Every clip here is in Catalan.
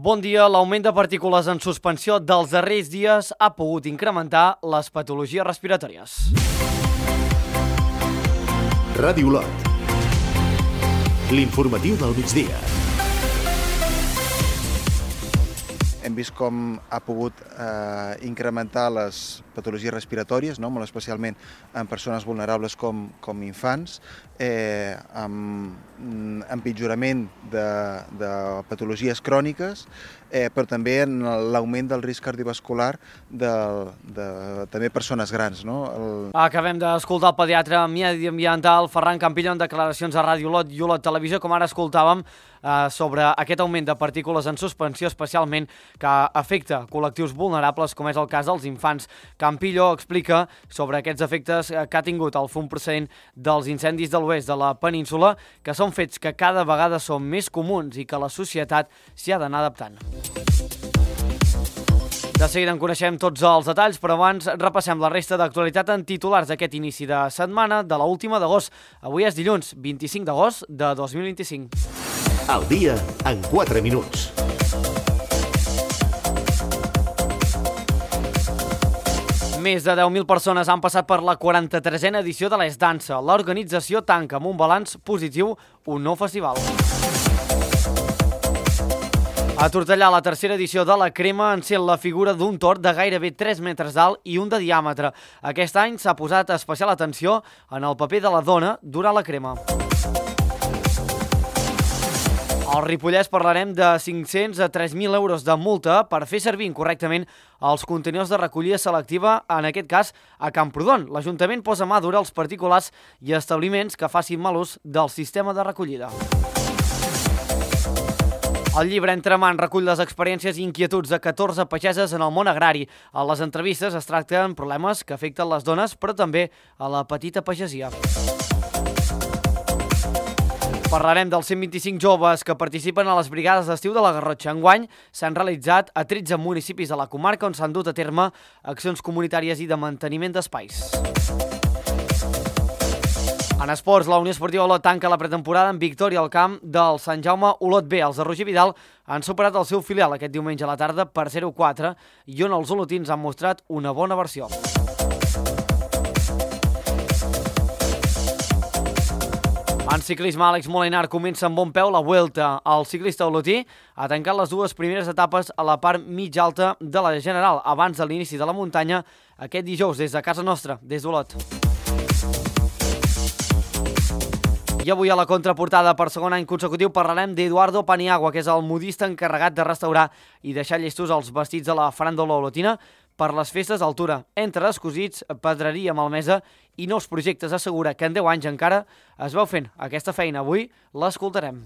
Bon dia. L'augment de partícules en suspensió dels darrers dies ha pogut incrementar les patologies respiratòries. Ràdio Olot. L'informatiu del migdia. Hem vist com ha pogut incrementar les patologies respiratòries, molt especialment en persones vulnerables com infants, amb empitjorament de patologies cròniques, però també en l'augment del risc cardiovascular de també persones grans. Acabem d'escoltar el pediatre mediambiental Ferran Campillo en declaracions a Ràdio Olot i Olot Televisió, com ara escoltàvem, sobre aquest augment de partícules en suspensió, especialment que afecta col·lectius vulnerables, com és el cas dels infants. Campillo explica sobre aquests efectes que ha tingut el fum procedent dels incendis de l'oest de la península, que són fets que cada vegada són més comuns i que la societat s'hi ha d'anar adaptant. De seguida en coneixem tots els detalls, però abans repassem la resta d'actualitat en titulars d'aquest inici de setmana de l'última d'agost. Avui és dilluns, 25 d'agost de 2025. El dia en 4 minuts. Més de 10.000 persones han passat per la 43a edició de l'Es Dansa. L'organització tanca amb un balanç positiu un nou festival. A Tortellà, la tercera edició de la Crema encén la figura d'un tord de gairebé 3 metres d'alt i un de diàmetre. Aquest any s'ha posat especial atenció en el paper de la dona durant la crema. Al Ripollès parlarem de 500 a 3.000 euros de multa per fer servir incorrectament els contenidors de recollida selectiva, en aquest cas a Camprodon. L'Ajuntament posa mà dura als particulars i establiments que facin mal ús del sistema de recollida. El llibre Entre mans recull les experiències i inquietuds de 14 pageses en el món agrari. A les entrevistes es tracten problemes que afecten les dones, però també a la petita pagesia. Parlarem dels 125 joves que participen a les brigades d'estiu de la Garrotxa. Enguany s'han realitzat a 13 municipis de la comarca on s'han dut a terme accions comunitàries i de manteniment d'espais. En esports, la Unió Esportiva Olot tanca la pretemporada en victòria al camp del Sant Jaume Olot B. Els de Roger Vidal han superat el seu filial aquest diumenge a la tarda per 0-4 i on els olotins han mostrat una bona versió. En ciclisme, Àlex Molinar comença amb bon peu la Vuelta. El ciclista olotí ha tancat les dues primeres etapes a la part mitja alta de la General, abans de l'inici de la muntanya, aquest dijous des de casa nostra, des d'Olot. I avui a la contraportada, per segon any consecutiu, parlarem d'Eduardo Paniagua, que és el modista encarregat de restaurar i deixar llestos els vestits de la faràndula olotina per les festes d'altura. Entre descosits, pedreria malmesa i nous projectes, assegura que en 10 anys encara es veu fent aquesta feina. Avui l'escoltarem.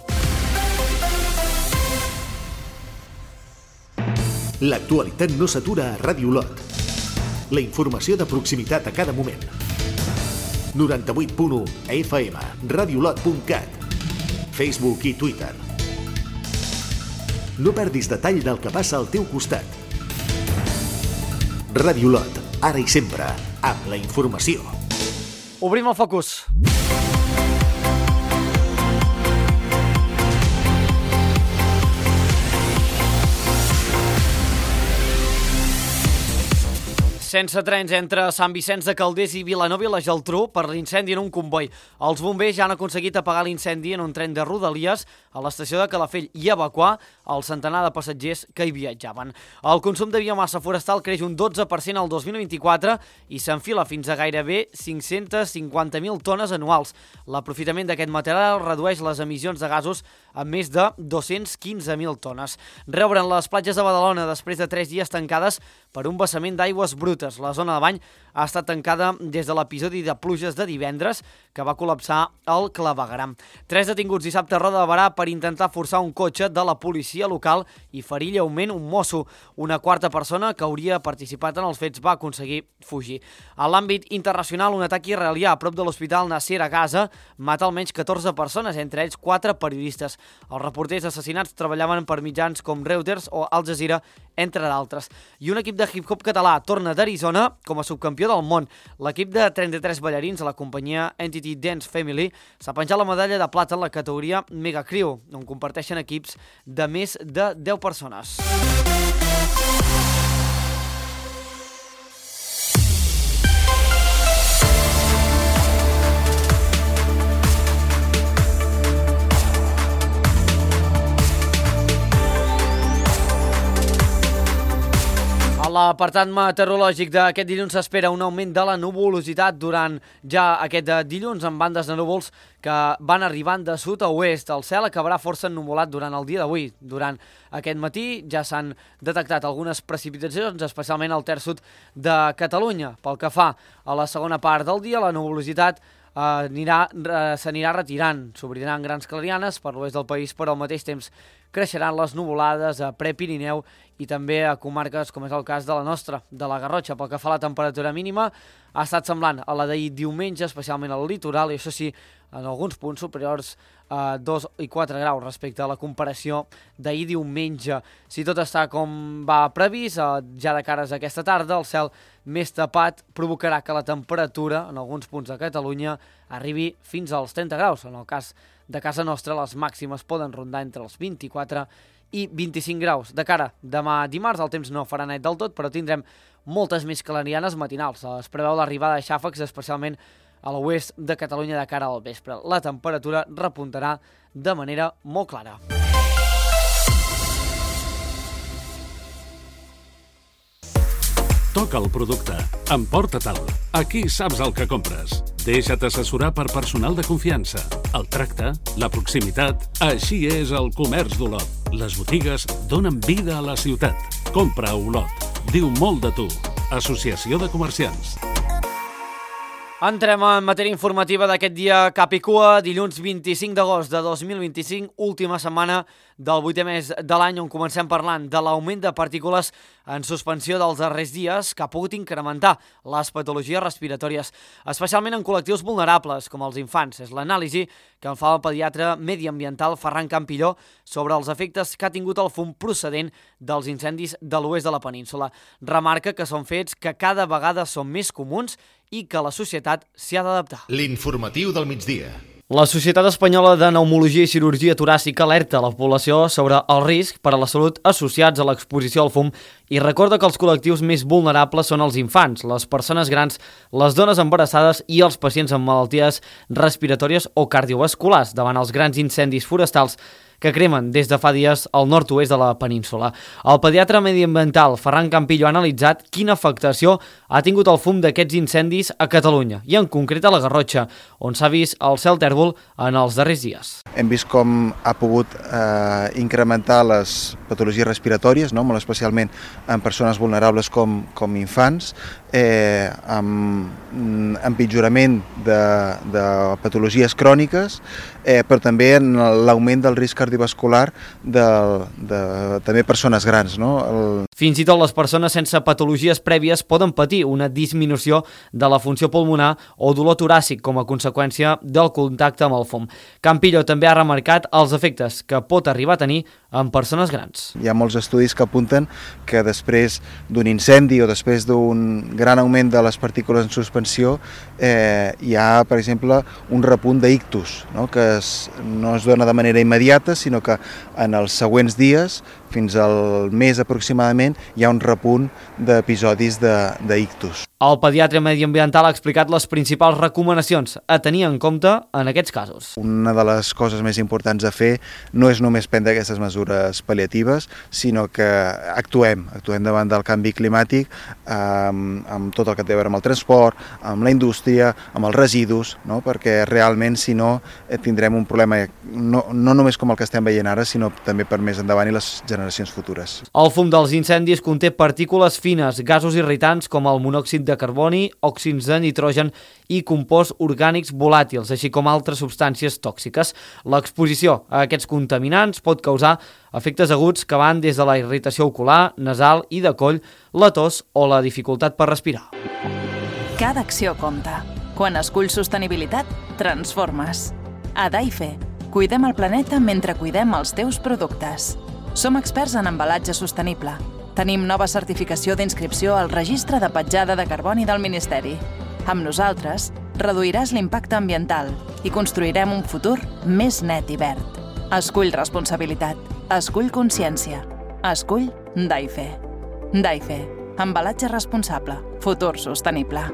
L'actualitat no s'atura a Ràdio Olot. La informació de proximitat a cada moment. 98.1 FM, radiolot.cat, Facebook i Twitter. No perdis detall del que passa al teu costat. Ràdio Olot, ara i sempre, amb la informació. Obrim el focus. Sense trens entre Sant Vicenç de Calders i Vilanova i la Geltrú per l'incendi en un comboi. Els bombers ja han aconseguit apagar l'incendi en un tren de Rodalies a l'estació de Calafell i evacuar el centenar de passatgers que hi viatjaven. El consum de biomassa forestal creix un 12% al 2024 i s'enfila fins a gairebé 550.000 tones anuals. L'aprofitament d'aquest material redueix les emissions de gasos a més de 215.000 tones. Reobren les platges de Badalona després de 3 dies tancades per un vessament d'aigües brutes. La zona de bany ha estat tancada des de l'episodi de pluges de divendres que va col·lapsar el clavegueram. 3 detinguts dissabte a Roda de Berà per intentar forçar un cotxe de la policia local i ferir lleument un mosso. Una quarta persona que hauria participat en els fets va aconseguir fugir. A l'àmbit internacional, un atac israelià a prop de l'hospital Nasser a Gaza mata almenys 14 persones, entre ells 4 periodistes. Els reporters assassinats treballaven per mitjans com Reuters o Al Jazeera, entre d'altres. I un equip de hip-hop català torna d'Arizona com a subcampió del món. L'equip de 33 ballarins de la companyia Entity Dance Family s'ha penjat la medalla de plata en la categoria Mega Crew, on comparteixen equips de més de 10 persones. A l'apartat meteorològic d'aquest dilluns s'espera un augment de la nuvolositat durant ja aquest dilluns amb bandes de núvols que van arribant de sud a oest. El cel acabarà força ennuvolat durant el dia d'avui. Durant aquest matí ja s'han detectat algunes precipitacions, especialment al terç sud de Catalunya. Pel que fa a la segona part del dia, la nuvolositat s'anirà retirant. S'obriran grans clarianes per l'oest del país, però al mateix temps creixeran les nuvolades a Prepirineu i també a comarques com és el cas de la nostra, de la Garrotxa. Pel que fa a la temperatura mínima, ha estat semblant a la d'ahir diumenge, especialment al litoral, i això sí, en alguns punts superiors a 2 i 4 graus respecte a la comparació d'ahir diumenge. Si tot està com va previst, ja de cares a aquesta tarda, el cel més tapat provocarà que la temperatura en alguns punts de Catalunya arribi fins als 30 graus. En el cas de casa nostra, les màximes poden rondar entre els 24 i 25 graus. De cara demà dimarts, el temps no farà net del tot, però tindrem moltes més clarianes matinals. Es preveu l'arribada de xàfecs, especialment a l'oest de Catalunya de cara al vespre. La temperatura repuntarà de manera molt clara. Toca el producte. Emporta-te'l. Aquí saps el que compres. Deixa't assessorar per personal de confiança. El tracte, la proximitat... Així és el comerç d'Olot. Les botigues donen vida a la ciutat. Compra a Olot. Diu molt de tu. Associació de Comerciants. Entrem en matèria informativa d'aquest dia cap i cua, dilluns 25 d'agost de 2025, última setmana del 8è mes de l'any, on comencem parlant de l'augment de partícules en suspensió dels darrers dies que ha pogut incrementar les patologies respiratòries, especialment en col·lectius vulnerables, com els infants. És l'anàlisi que en fa el pediatre mediambiental Ferran Campilló sobre els efectes que ha tingut el fum procedent dels incendis de l'oest de la península. Remarca que són fets que cada vegada són més comuns i que la societat s'hi ha d'adaptar. L'informatiu del migdia. La Societat Espanyola de Pneumologia i Cirurgia Toràcica alerta la població sobre el risc per a la salut associats a l'exposició al fum i recorda que els col·lectius més vulnerables són els infants, les persones grans, les dones embarassades i els pacients amb malalties respiratòries o cardiovasculars davant els grans incendis forestals que cremen des de fa dies al nord-oest de la península. El pediatre mediambiental Ferran Campilló ha analitzat quina afectació ha tingut el fum d'aquests incendis a Catalunya i en concret a la Garrotxa, on s'ha vist el cel tèrbol en els darrers dies. Hem vist com ha pogut incrementar les patologies respiratòries, no? Molt especialment en persones vulnerables com infants, amb empitjorament de patologies cròniques, però també en l'augment del risc cardiovascular de també persones grans, no? Fins i tot les persones sense patologies prèvies poden patir una disminució de la funció pulmonar o dolor toràcic com a conseqüència del contacte amb el fum. Campilló també ha remarcat els efectes que pot arribar a tenir en persones grans. Hi ha molts estudis que apunten que després d'un incendi o després d'un gran augment de les partícules en suspensió hi ha, per exemple, un repunt d'ictus, no? Que no es dona de manera immediata, sinó que en els següents dies, fins al mes aproximadament, hi ha un repunt d'episodis d'ictus. El pediatre mediambiental ha explicat les principals recomanacions a tenir en compte en aquests casos. Una de les coses més importants a fer no és només prendre aquestes mesures pal·liatives, sinó que actuem davant del canvi climàtic amb tot el que té a veure amb el transport, amb la indústria, amb els residus, no? Perquè realment, si no, tindrem un problema no només com el que estem veient ara, sinó també per més endavant i les generacions futures. El fum dels incendis conté partícules fines, gasos irritants com el monòxid de carboni, òxids de nitrogen i composts orgànics volàtils, així com altres substàncies tòxiques. L'exposició a aquests contaminants pot causar efectes aguts que van des de la irritació ocular, nasal i de coll, la tos o la dificultat per respirar. Cada acció compta. Quan esculls sostenibilitat, transformes. A Daife, cuidem el planeta mentre cuidem els teus productes. Som experts en embalatge sostenible. tenim nova certificació d'inscripció al Registre de Petjada de Carboni del Ministeri. Amb nosaltres, reduiràs l'impacte ambiental i construirem un futur més net i verd. Escull responsabilitat. Escull consciència. Escull DAIFE. DAIFE. Embalatge responsable. Futur sostenible.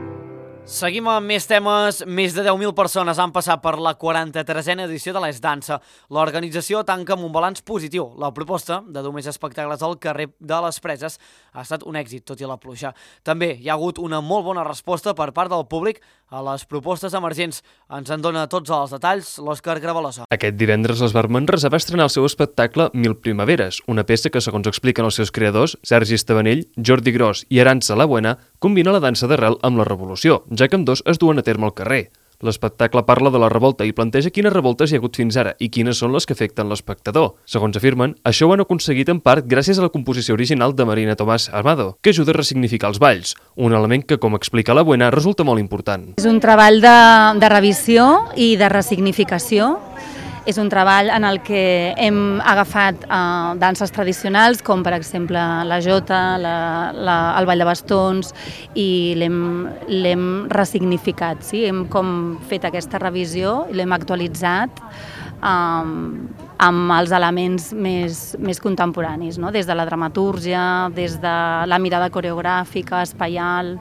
Seguim amb més temes. Més de 10.000 persones han passat per la 43a edició de l'Es Dansa. L'organització tanca amb un balanç positiu. La proposta de dur més espectacles al carrer de les Preses ha estat un èxit, tot i la pluja. També hi ha hagut una molt bona resposta per part del públic a les propostes emergents. Ens en dona tots els detalls l'Òscar Gravalosa. Aquest divendres l'Esbar Manresa va estrenar el seu espectacle 1000 Primaveres, una peça que, segons expliquen els seus creadors, Sergi Estabanell, Jordi Gros i Arantxa La Buena, combina la dansa d'arrel amb la revolució, ja que ambdós es duen a terme al carrer. L'espectacle parla de la revolta i planteja quines revoltes hi ha hagut fins ara i quines són les que afecten l'espectador. Segons afirmen, això ho han aconseguit en part gràcies a la composició original de Marina Tomàs Amado, que ajuda a ressignificar els balls, un element que, com explica La Buena, resulta molt important. És un treball de revisió i de ressignificació. És un treball en el que hem agafat danses tradicionals, com per exemple la jota, el ball de bastons, i l'hem ressignificat. Sí? Hem com fet aquesta revisió i l'hem actualitzat amb els elements més contemporanis, no? Des de la dramatúrgia, des de la mirada coreogràfica, espaial.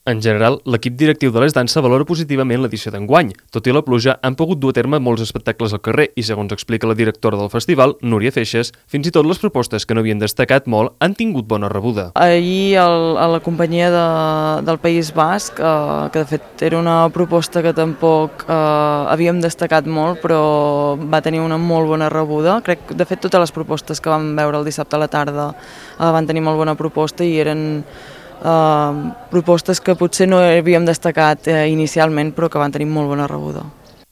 En general, l'equip directiu de l'Es Dansa valora positivament l'edició d'enguany. Tot i la pluja, han pogut dur a terme molts espectacles al carrer i, segons explica la directora del festival, Núria Feixes, fins i tot les propostes que no havien destacat molt han tingut bona rebuda. Ahir a la companyia del País Basc, que de fet era una proposta que tampoc havíem destacat molt, però va tenir una molt bona rebuda. Crec que, de fet, totes les propostes que vam veure el dissabte a la tarda van tenir molt bona proposta i eren propostes que potser no havíem destacat inicialment, però que van tenir molt bona rebuda.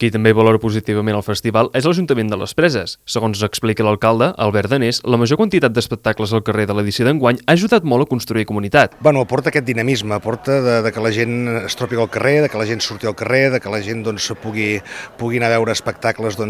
Qui també valora positivament el festival és l'Ajuntament de les Preses. Segons explica l'alcalde, Albert Danés, la major quantitat d'espectacles al carrer de l'edició d'enguany ha ajudat molt a construir comunitat. Aporta aquest dinamisme, aporta de que la gent es trobi al carrer, de que la gent surti al carrer, de que la gent pugui anar a veure espectacles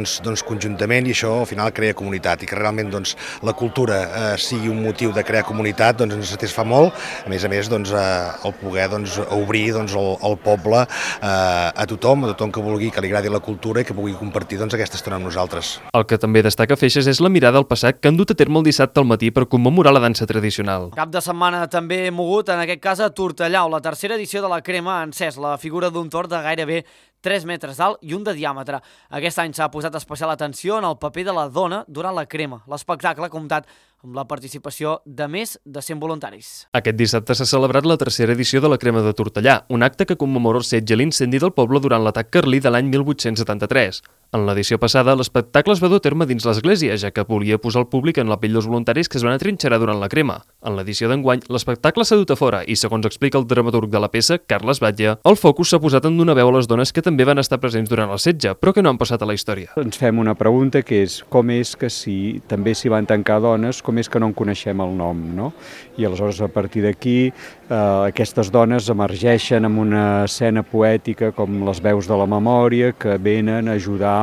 conjuntament, i això al final crea comunitat, i que realment la cultura sigui un motiu de crear comunitat ens satisfà molt. A més, el poder obrir el poble a tothom que vulgui, que li agradi la cultura i que pugui compartir aquesta estona amb nosaltres. El que també destaca Feixes és la mirada al passat que han dut a terme el dissabte al matí per commemorar la dansa tradicional. Cap de setmana també mogut, en aquest cas a Tortellà, on la tercera edició de la Crema ha encès la figura d'un tord de gairebé 3 metres d'alt i un de diàmetre. Aquest any s'ha posat especial atenció en el paper de la dona durant la crema. L'espectacle ha comptat amb la participació de més de 100 voluntaris. Aquest dissabte s'ha celebrat la tercera edició de la Crema de Tortellà, un acte que commemora el setge i l'incendi del poble durant l'atac carlí de l'any 1873. En l'edició passada, l'espectacle es va dur a terme dins l'església, ja que volia posar el públic en la pell dels voluntaris que es van atrinxerar durant la crema. En l'edició d'enguany, l'espectacle s'ha dut a fora i, segons explica el dramaturg de la peça, Carles Batlle, el focus s'ha posat en donar veu a les dones que també van estar presents durant el setge, però que no han passat a la història. Ens fem una pregunta que és com és que si també s'hi van tancar dones, com és que no en coneixem el nom, no? I aleshores, a partir d'aquí, aquestes dones emergeixen amb una escena poètica com les veus de la memòria que venen a ajudar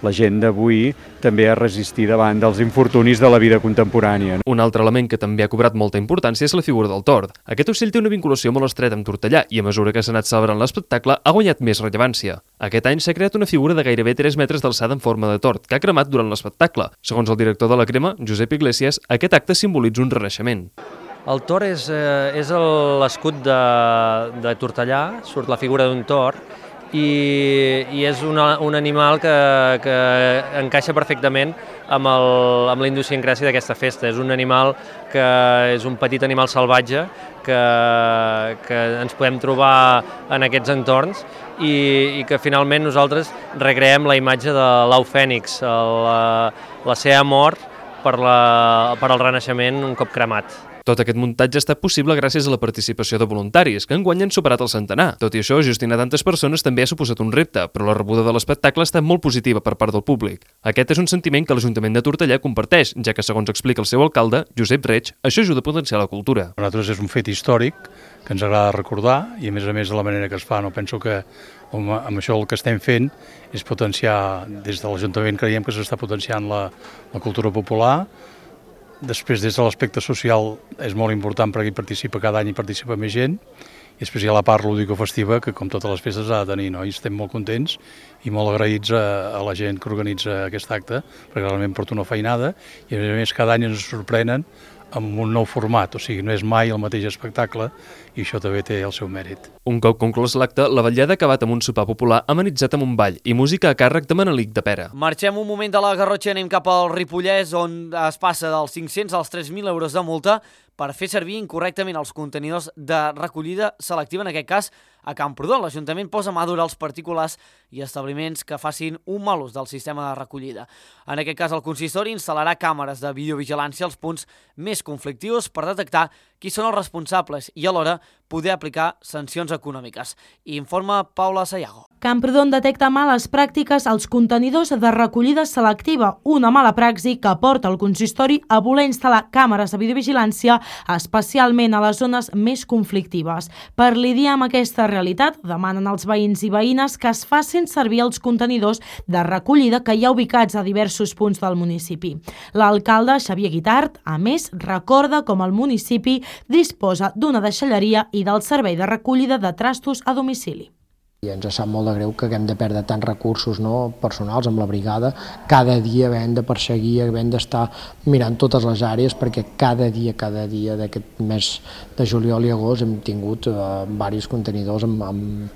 la gent d'avui també a resistir davant dels infortunis de la vida contemporània. Un altre element que també ha cobrat molta importància és la figura del tord. Aquest ocell té una vinculació molt estreta amb Tortellà i a mesura que s'ha anat celebrant l'espectacle ha guanyat més rellevància. Aquest any s'ha creat una figura de gairebé 3 metres d'alçada en forma de tord que ha cremat durant l'espectacle. Segons el director de la Crema, Josep Iglesias, aquest acte simbolitza un renaixement. El tord és l'escut de Tortellà, surt la figura d'un tord, i és un animal que encaixa perfectament amb la idiosincràsia d'aquesta festa. És un animal que és un petit animal salvatge que ens podem trobar en aquests entorns i que finalment nosaltres recreem la imatge de l'au fènix, la seva mort per al renaixement un cop cremat. Tot aquest muntatge ha estat possible gràcies a la participació de voluntaris, que enguany han superat el centenar. Tot i això, gestionar tantes persones també ha suposat un repte, però la rebuda de l'espectacle ha estat molt positiva per part del públic. Aquest és un sentiment que l'Ajuntament de Tortellà comparteix, ja que, segons explica el seu alcalde, Josep Reig, això ajuda a potenciar la cultura. Per nosaltres és un fet històric que ens agrada recordar i, a més de la manera que es fa, no penso que amb això el que estem fent és potenciar, des de l'Ajuntament creiem que s'està potenciant la cultura popular, Després, des de l'aspecte social, és molt important perquè hi participa cada any i participa més gent. I després hi ha la part lúdico-festiva, que com totes les festes ha de tenir, no? I estem molt contents i molt agraïts a la gent que organitza aquest acte, perquè realment porta una feinada i a més cada any ens sorprenen amb un nou format, o sigui, no és mai el mateix espectacle i això també té el seu mèrit. Un cop conclòs l'acte, la vetllada ha acabat amb un sopar popular amenitzat amb un ball i música a càrrec de Manelic de Pera. Marxem un moment de la Garrotxa i anem cap al Ripollès, on es passa dels 500 als 3.000 euros de multa per fer servir incorrectament els contenidors de recollida selectiva, en aquest cas a Camprodon. L'Ajuntament posa mà dura als particulars i establiments que facin un mal ús del sistema de recollida. En aquest cas, el consistori instal·larà càmeres de videovigilància als punts més conflictius per detectar qui són els responsables i alhora poder aplicar sancions econòmiques. Informa Paula Sayago. Camprodon detecta males pràctiques als contenidors de recollida selectiva, una mala praxi que porta el consistori a voler instal·lar càmeres de videovigilància especialment a les zones més conflictives. Per lidiar amb aquesta realitat, demanen als veïns i veïnes que es facin servir els contenidors de recollida que hi ha ubicats a diversos punts del municipi. L'alcalde, Xavier Guitart, a més, recorda com el municipi disposa d'una deixalleria i del servei de recollida de trastos a domicili. I ens sap molt de greu que haguem de perdre tants recursos personals amb la brigada, cada dia havent de perseguir, havent d'estar mirant totes les àrees, perquè cada dia d'aquest mes de juliol i agost hem tingut diversos contenidors amb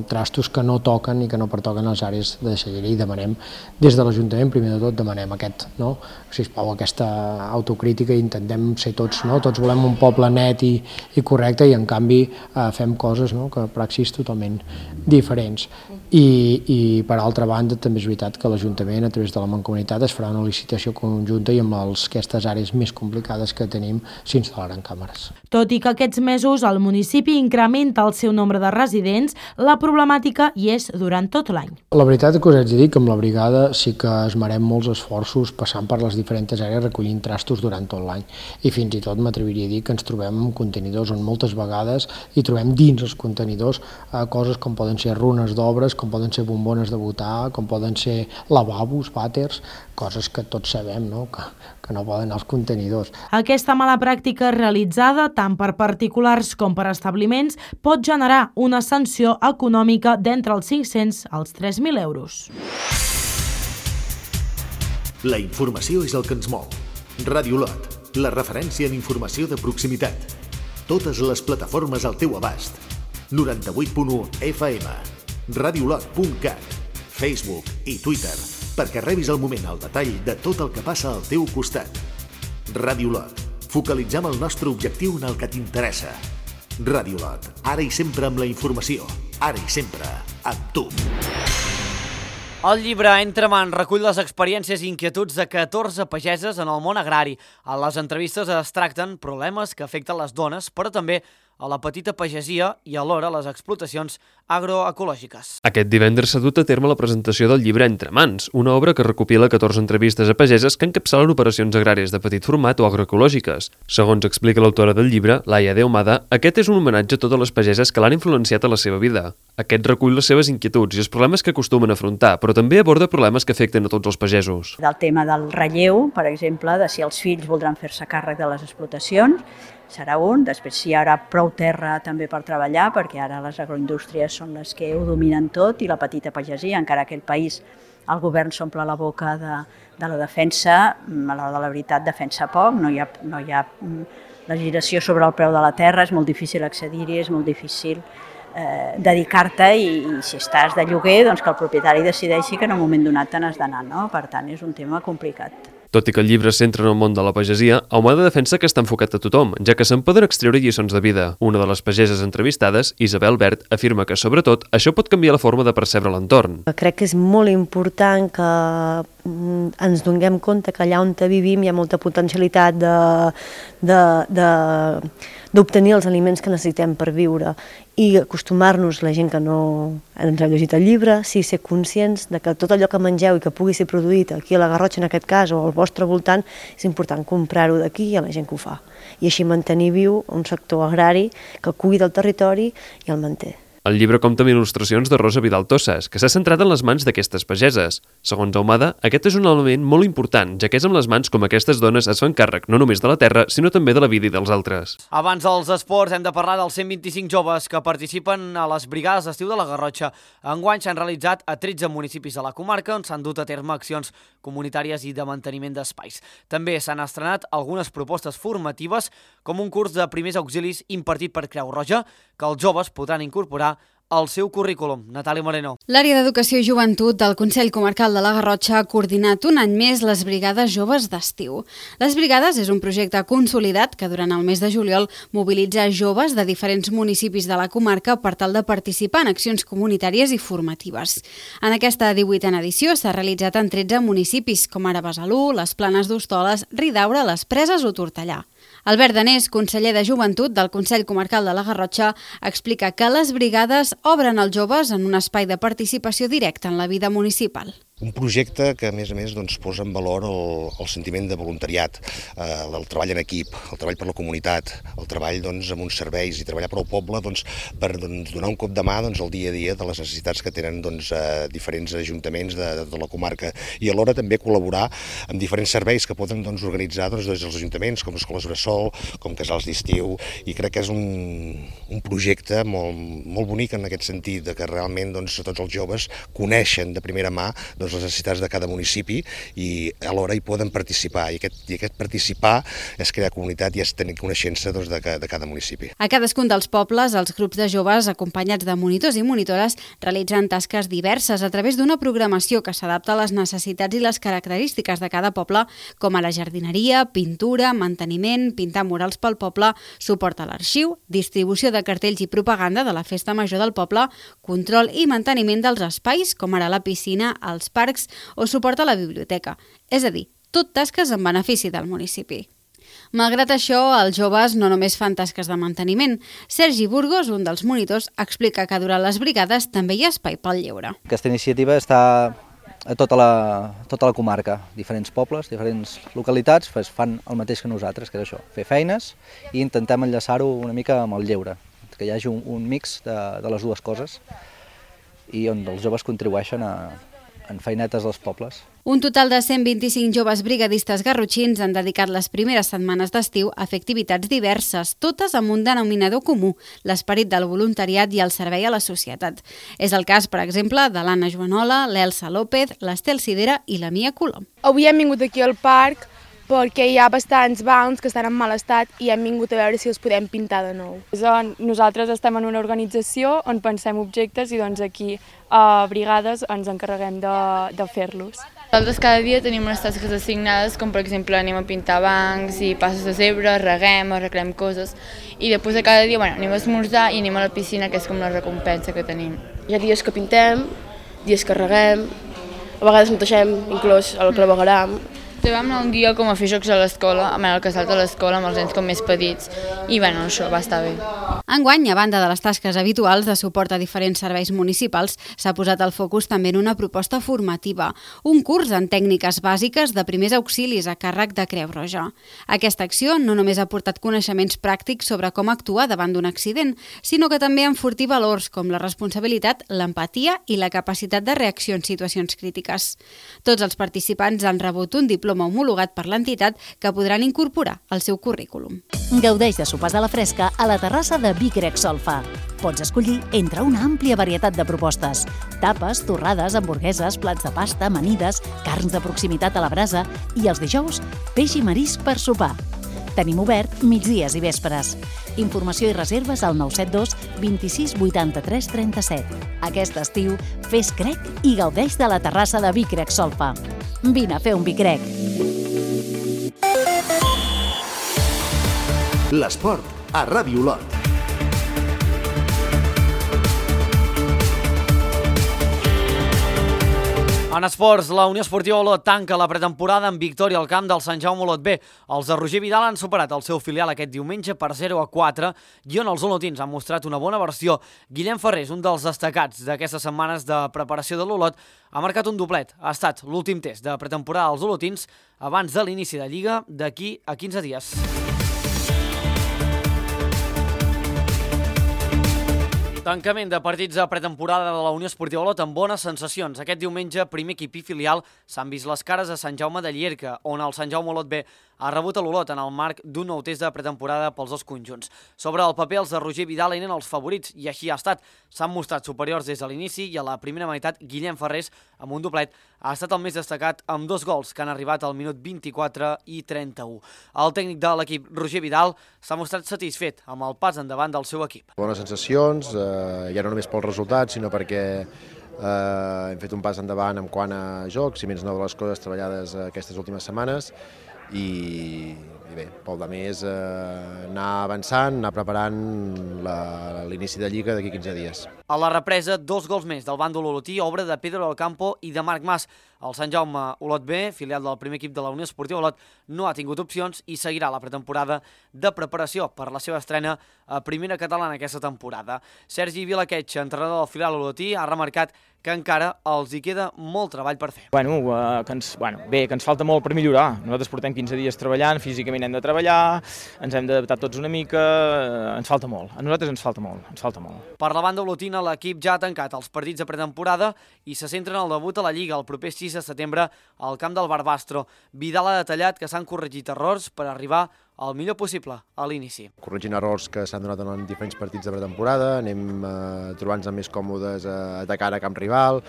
trastos que no toquen i que no pertoquen a les àrees de deixalleria, i demanem, des de l'Ajuntament, primer de tot, demanem sisplau, aquesta autocrítica, i intentem ser tots, tots volem un poble net i correcte, i en canvi fem coses, que praxis totalment diferents. I per altra banda també és veritat que l'Ajuntament a través de la Mancomunitat es farà una licitació conjunta i amb aquestes àrees més complicades que tenim s'instal·laran càmeres. Tot i que aquests mesos el municipi incrementa el seu nombre de residents, la problemàtica hi és durant tot l'any. La veritat que us haig de dir que amb la brigada sí que esmerem molts esforços passant per les diferents àrees recollint trastos durant tot l'any, i fins i tot m'atreviria a dir que ens trobem amb contenidors on moltes vegades hi trobem dins els contenidors coses com poden ser runes d'obres, com poden ser bombones de butà, com poden ser lavabos, vàters, coses que tots sabem que no poden anar als contenidors. Aquesta mala pràctica realitzada tant per particulars com per establiments pot generar una sanció econòmica d'entre els 500 als 3.000 euros. La informació és el que ens mou. Ràdio Lot, la referència en informació de proximitat. Totes les plataformes al teu abast. 98.1 FM, radiolot.cat, Facebook i Twitter, perquè rebis al moment el detall de tot el que passa al teu costat. Ràdio Lot, focalitzem el nostre objectiu en el que t'interessa. Ràdio Lot, ara i sempre amb la informació, ara i sempre amb tu. El llibre Entre mans recull les experiències i inquietuds de 14 pageses en el món agrari. A les entrevistes es tracten problemes que afecten les dones, però també a la petita pagesia i alhora les explotacions agroecològiques. Aquest divendres s'ha dut a terme la presentació del llibre Entre mans, una obra que recopila 14 entrevistes a pageses que encapçalen operacions agràries de petit format o agroecològiques. Segons explica l'autora del llibre, Laia de Ahumada, aquest és un homenatge a totes les pageses que l'han influenciat a la seva vida. Aquest recull les seves inquietuds i els problemes que acostumen a afrontar, però també aborda problemes que afecten a tots els pagesos. Del tema del relleu, per exemple, de si els fills voldran fer-se càrrec de les explotacions, serà un. Després si hi haurà prou terra també per treballar, perquè ara les agroindústries són les que ho dominen tot i la petita pagesia, encara que el país, el govern s'omple la boca de la defensa, a l'hora de la veritat defensa poc, no hi ha legislació sobre el preu de la terra, és molt difícil accedir-hi, és molt difícil dedicar-te, i si estàs de lloguer, doncs que el propietari decideixi que en un moment donat te n'has d'anar, no? Per tant, és un tema complicat. Tot i que el llibre es centra en el món de la pagesia, Ahumada defensa que està enfocat a tothom, ja que se'n poden extreure lliçons de vida. Una de les pageses entrevistades, Isabel Bert, afirma que, sobretot, això pot canviar la forma de percebre l'entorn. Crec que és molt important que ens donem compte que allà on vivim hi ha molta potencialitat d'obtenir els aliments que necessitem per viure, i acostumar-nos, la gent que no ens ha llegit el llibre, sí ser conscients de que tot allò que mengeu i que pugui ser produït aquí a la Garrotxa en aquest cas o al vostre voltant, és important comprar-ho d'aquí i a la gent que ho fa. I així mantenir viu un sector agrari que cuida el territori i el manté. El llibre compta amb il·lustracions de Rosa Vidal Tossas, que s'ha centrat en les mans d'aquestes pageses. Segons Ahumada, aquest és un element molt important, ja que és amb les mans com aquestes dones es fan càrrec no només de la terra, sinó també de la vida i dels altres. Abans dels esports hem de parlar dels 125 joves que participen a les brigades d'estiu de la Garrotxa. Enguany s'han realitzat a 13 municipis de la comarca on s'han dut a terme accions comunitàries i de manteniment d'espais. També s'han estrenat algunes propostes formatives com un curs de primers auxilis impartit per Creu Roja que els joves podran incorporar al seu currículum. Natàlia Moreno. L'àrea d'Educació i Joventut del Consell Comarcal de la Garrotxa ha coordinat un any més les Brigades Joves d'Estiu. Les Brigades és un projecte consolidat que durant el mes de juliol mobilitza joves de diferents municipis de la comarca per tal de participar en accions comunitàries i formatives. En aquesta 18a edició s'ha realitzat en 13 municipis, com ara Besalú, les Planes d'Hostoles, Ridaura, les Preses o Tortellà. Albert Danés, conseller de Joventut del Consell Comarcal de la Garrotxa, explica que les brigades obren als joves en un espai de participació directa en la vida municipal. Un projecte que, a més, posa en valor el sentiment de voluntariat, el treball en equip, el treball per la comunitat, el treball amb uns serveis i treballar per al poble per donar un cop de mà al dia a dia de les necessitats que tenen diferents ajuntaments de la comarca i alhora també col·laborar amb diferents serveis que poden organitzar des dels ajuntaments, com escoles bressol, com casals d'estiu, i crec que és un projecte molt bonic en aquest sentit, que realment tots els joves coneixen de primera mà les necessitats de cada municipi i alhora hi poden participar. I aquest participar és crear comunitat i és tenir coneixença de cada municipi. A cadascun dels pobles, els grups de joves acompanyats de monitors i monitores realitzen tasques diverses a través d'una programació que s'adapta a les necessitats i les característiques de cada poble, com a la jardineria, pintura, manteniment, pintar murals pel poble, suport a l'arxiu, distribució de cartells i propaganda de la festa major del poble, control i manteniment dels espais, com ara la piscina, els parcs o suport a la biblioteca. És a dir, tot tasques en benefici del municipi. Malgrat això, els joves no només fan tasques de manteniment. Sergi Burgos, un dels monitors, explica que durant les brigades també hi ha espai pel lleure. Aquesta iniciativa està a tota la comarca. Diferents pobles, diferents localitats fan el mateix que nosaltres, que és això, fer feines i intentem enllaçar-ho una mica amb el lleure, que hi hagi un mix de les dues coses i on els joves contribueixen en feinetes dels pobles. Un total de 125 joves brigadistes garrotxins han dedicat les primeres setmanes d'estiu a fer activitats diverses, totes amb un denominador comú, l'esperit del voluntariat i el servei a la societat. És el cas, per exemple, de l'Anna Joanola, l'Elsa López, l'Estel Sidera i la Mia Colom. Avui hem vingut aquí al parc perquè hi ha bastants bancs que estan en mal estat i hem vingut a veure si els podem pintar de nou. Nosaltres estem en una organització on pensem objectes i aquí a brigades ens encarreguem de fer-los. Nosaltres cada dia tenim unes tasques assignades, com per exemple anem a pintar bancs i passos de zebra, reguem, arreglem coses i després de cada dia anem a esmorzar i anem a la piscina, que és com la recompensa que tenim. Hi ha dies que pintem, dies que reguem, a vegades neteixem inclús el clavegueram. Vam anar un dia com a fer jocs a l'escola, al casal de l'escola amb els nens com més petits i això va estar bé. Enguany, a banda de les tasques habituals de suport a diferents serveis municipals, s'ha posat el focus també en una proposta formativa, un curs en tècniques bàsiques de primers auxilis a càrrec de Creu Roja. Aquesta acció no només ha portat coneixements pràctics sobre com actuar davant d'un accident, sinó que també enfortir valors com la responsabilitat, l'empatia i la capacitat de reacció en situacions crítiques. Tots els participants han rebut un diploma homologat per l'entitat que podran incorporar al seu currículum. Gaudeix de sopars a la fresca a la terrassa de Vic Grec Solfa. Pots escollir entre una àmplia varietat de propostes. Tapes, torrades, hamburgueses, plats de pasta, amanides, carns de proximitat a la brasa i els dijous, peix i marisc per sopar. Tenim obert migdies i vespres. Informació i reserves al 972 26 83 37. Aquest estiu, fes crec i gaudeix de la terrassa de Vic Grec Solfa. Vine a fer un Vic Grec. L'esport a Ràdio Olot. En esports, la Unió Esportiva Olot tanca la pretemporada amb victòria al camp del Sant Jaume Olot B. Els de Roger Vidal han superat el seu filial aquest diumenge per 0-4 i on els olotins han mostrat una bona versió. Guillem Ferrés, un dels destacats d'aquestes setmanes de preparació de l'Olot, ha marcat un doblet. Ha estat l'últim test de pretemporada dels olotins abans de l'inici de Lliga d'aquí a 15 dies. Tancament de partits de pretemporada de la Unió Esportiva Olot amb bones sensacions. Aquest diumenge, primer equip i filial s'han vist les cares a Sant Jaume de Llierca, on el Sant Jaume Olot B ha rebut a l'Olot en el marc d'un nou test de pretemporada pels dos conjunts. Sobre el paper, els de Roger Vidal eren els favorits, i així ha estat. S'han mostrat superiors des de l'inici i a la primera meitat Guillem Ferrés, amb un doblet, ha estat el més destacat amb 2 gols que han arribat al minut 24 i 31. El tècnic de l'equip, Roger Vidal, s'ha mostrat satisfet amb el pas endavant del seu equip. Bones sensacions, ja no només pels resultats, sinó perquè hem fet un pas endavant en quant a jocs i menys nou de les coses treballades aquestes últimes setmanes i bé, pel de més anar avançant, anar preparant l'inici de Lliga d'aquí 15 dies. A la represa, 2 gols més del bàndol olotí, obra de Pedro del Campo i de Marc Mas. El Sant Jaume Olot B, filial del primer equip de la Unió Esportiva Olot, no ha tingut opcions i seguirà la pretemporada de preparació per la seva estrena a primera catalana aquesta temporada. Sergi Vilaquetx, entrenador del filial olotí, ha remarcat que encara els hi queda molt treball per fer. Que ens falta molt per millorar. Nosaltres portem 15 dies treballant, físicament hem de treballar, ens hem d'adaptar tots una mica, ens falta molt. A nosaltres ens falta molt. Per la banda olotina, l'equip ja ha tancat els partits de pretemporada i se centra en el debut a la Lliga el proper 6 de setembre al camp del Barbastro. Vidal ha detallat que s'han corregit errors per arribar el millor possible a l'inici. Corregint errors que s'han donat en diferents partits de pretemporada, anem trobant-nos més còmodes atacant a camp rival,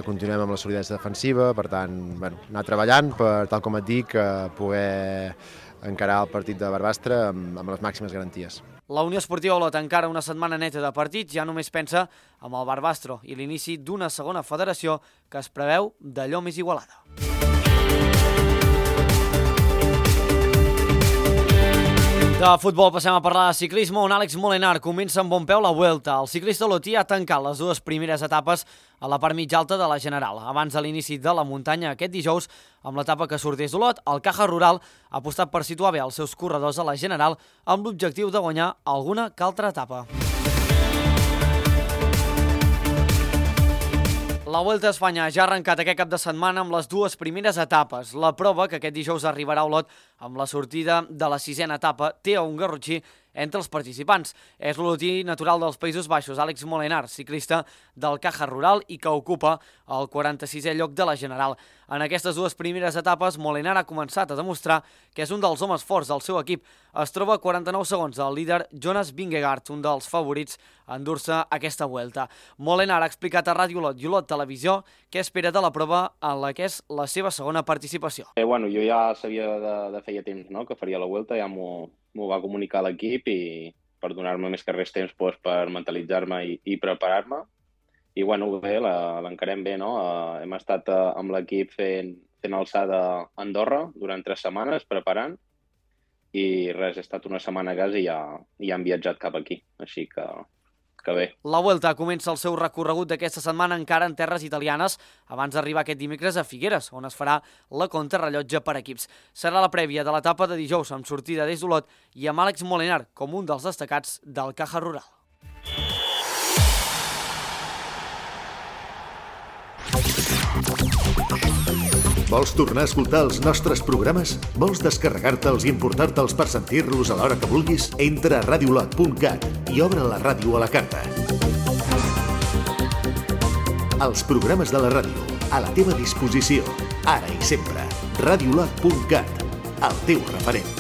continuem amb la solidesa defensiva, per tant, anar treballant per, tal com et dic, poder encarar el partit de Barbastre amb les màximes garanties. La Unió Esportiva Olot, encara una setmana neta de partits, ja només pensa amb el Barbastro i l'inici d'una segona federació que es preveu d'allò més igualada. De futbol passem a parlar de ciclisme, on Àlex Molenar comença amb bon peu la Vuelta. El ciclista olotí ha tancat les 2 primeres etapes a la part mitja alta de la General. Abans de l'inici de la muntanya aquest dijous, amb l'etapa que sorteix d'Olot, el Caja Rural ha apostat per situar bé els seus corredors a la General amb l'objectiu de guanyar alguna que altra etapa. La Vuelta a Espanya ja ha arrencat aquest cap de setmana amb les 2 primeres etapes. La prova, que aquest dijous arribarà a Olot amb la sortida de la 6a etapa, té un garrotxí entre els participants. És l'olotí natural dels Països Baixos, Àlex Molenar, ciclista del Caja Rural i que ocupa el 46è lloc de la General. En aquestes 2 primeres etapes, Molenar ha començat a demostrar que és un dels homes forts del seu equip. Es troba a 49 segons del líder Jonas Vingegaard, un dels favorits a endur-se aquesta Vuelta. Molenar ha explicat a Ràdio Olot i Olot Televisió què espera de la prova en la que és la seva segona participació. Jo ja sabia de feia temps, no?, que faria la Vuelta, ja m'ho va comunicar l'equip i per donar-me més que res temps per mentalitzar-me i preparar-me. I bé, l'encarem bé, no? Hem estat amb l'equip fent alçada a Andorra durant 3 setmanes preparant i res, he estat una setmana a casa i ja hem viatjat cap aquí, així que bé. La Vuelta comença el seu recorregut d'aquesta setmana encara en terres italianes abans d'arribar aquest dimecres a Figueres, on es farà la contrarrellotge per equips. Serà la prèvia de l'etapa de dijous amb sortida des d'Olot i amb Àlex Molenar com un dels destacats del Caja Rural. Vols tornar a escoltar els nostres programes? Vols descarregar-te'ls i emportar-te'ls per sentir-los a l'hora que vulguis? Entra a radiolot.cat i obre la ràdio a la carta. Els programes de la ràdio, a la teva disposició, ara i sempre. Radiolot.cat, el teu referent.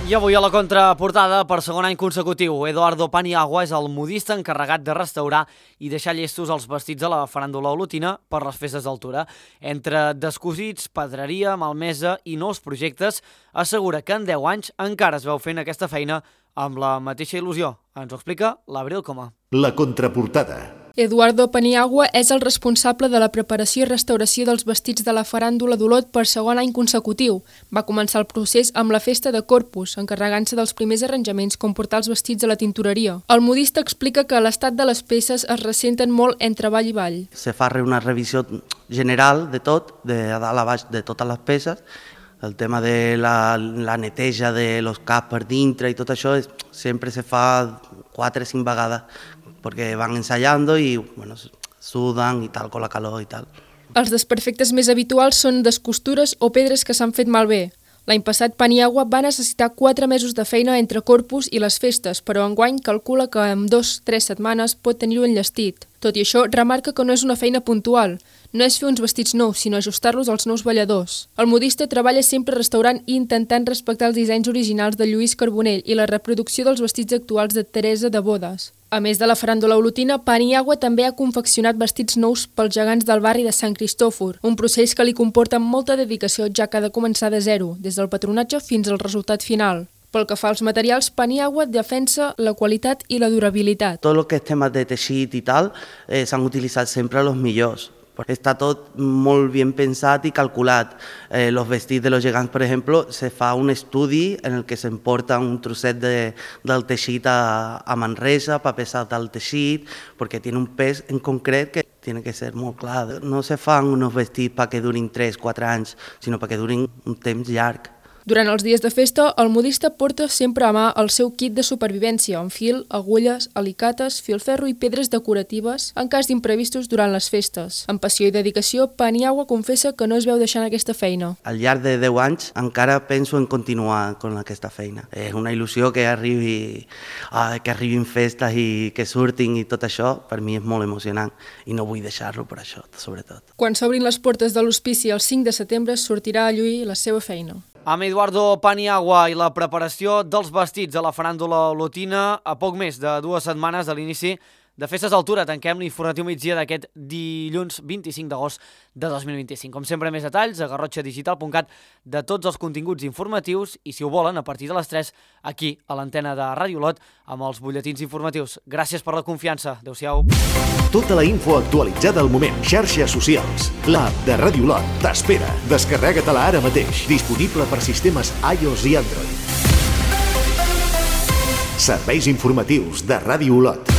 I avui a la contraportada, per segon any consecutiu, Eduardo Paniagua és el modista encarregat de restaurar i deixar llestos els vestits de la faràndula olotina per les festes d'altura. Entre descosits, pedreria, malmesa i nous projectes, assegura que en 10 anys encara es veu fent aquesta feina amb la mateixa il·lusió. Ens ho explica l'Abril Coma. La contraportada. Eduardo Paniagua és el responsable de la preparació i restauració dels vestits de la faràndula d'Olot per segon any consecutiu. Va començar el procés amb la festa de Corpus, encarregant-se dels primers arranjaments com portar els vestits a la tintoreria. El modista explica que l'estat de les peces es ressenten molt entre ball i ball. Se fa una revisió general de tot, de dalt a baix de totes les peces. El tema de la neteja de los caps per dintre i tot això sempre se fa 4 o 5 vegades perquè van ensayant i suden i tal, con la calor i tal. Els desperfectes més habituals són descostures o pedres que s'han fet malbé. L'any passat, Paniagua va necessitar 4 mesos de feina entre Corpus i les festes, però enguany calcula que en 2-3 setmanes pot tenir-ho enllestit. Tot i això, remarca que no és una feina puntual. No és fer uns vestits nous, sinó ajustar-los als nous balladors. El modista treballa sempre restaurant i intentant respectar els dissenys originals de Lluís Carbonell i la reproducció dels vestits actuals de Teresa de Bodes. A més de la faràndula olotina, Paniagua també ha confeccionat vestits nous pels gegants del barri de Sant Cristòfor, un procés que li comporta molta dedicació, ja que ha de començar de zero, des del patronatge fins al resultat final. Pel que fa als materials, Paniagua defensa la qualitat i la durabilitat. Tot el que és temes de teixit i tal s'han utilitzat sempre els millors. Està tot molt ben pensat i calculat. Los vestits de los gegants, per exemple, se fa un estudi en el que s'emporta un trosset del teixit a Manresa per pesar el teixit, perquè té un pes en concret que tiene que ser molt clar. No se fan uns vestits perquè durin 3-4 anys, sinó perquè durin un temps llarg. Durant els dies de festa, el modista porta sempre a mà el seu kit de supervivència, amb fil, agulles, alicates, filferro i pedres decoratives en cas d'imprevistos durant les festes. Amb passió i dedicació, Paniagua confessa que no es veu deixant aquesta feina. Al llarg de 10 anys encara penso en continuar amb aquesta feina. És una il·lusió que arribin festes i que surtin i tot això, per mi és molt emocionant i no vull deixar-lo per això, sobretot. Quan s'obrin les portes de l'hospici el 5 de setembre, sortirà a lluir la seva feina. Amb Eduardo Paniagua i la preparació dels vestits a la faràndula olotina a poc més de 2 setmanes de l'inici de Festes d'Altura. Tanquem l'informatiu migdia d'aquest dilluns 25 d'agost de 2025. Com sempre, més detalls a garrotxadigital.cat de tots els continguts informatius i, si ho volen, a partir de les 3 aquí a l'antena de Ràdio Olot amb els butlletins informatius. Gràcies per la confiança. Adéu-siau. Tota la info actualitzada al moment. Xarxes socials. L'app de Ràdio Olot t'espera. Descarrega-te-la ara mateix. Disponible per sistemes iOS i Android. Serveis informatius de Ràdio Olot.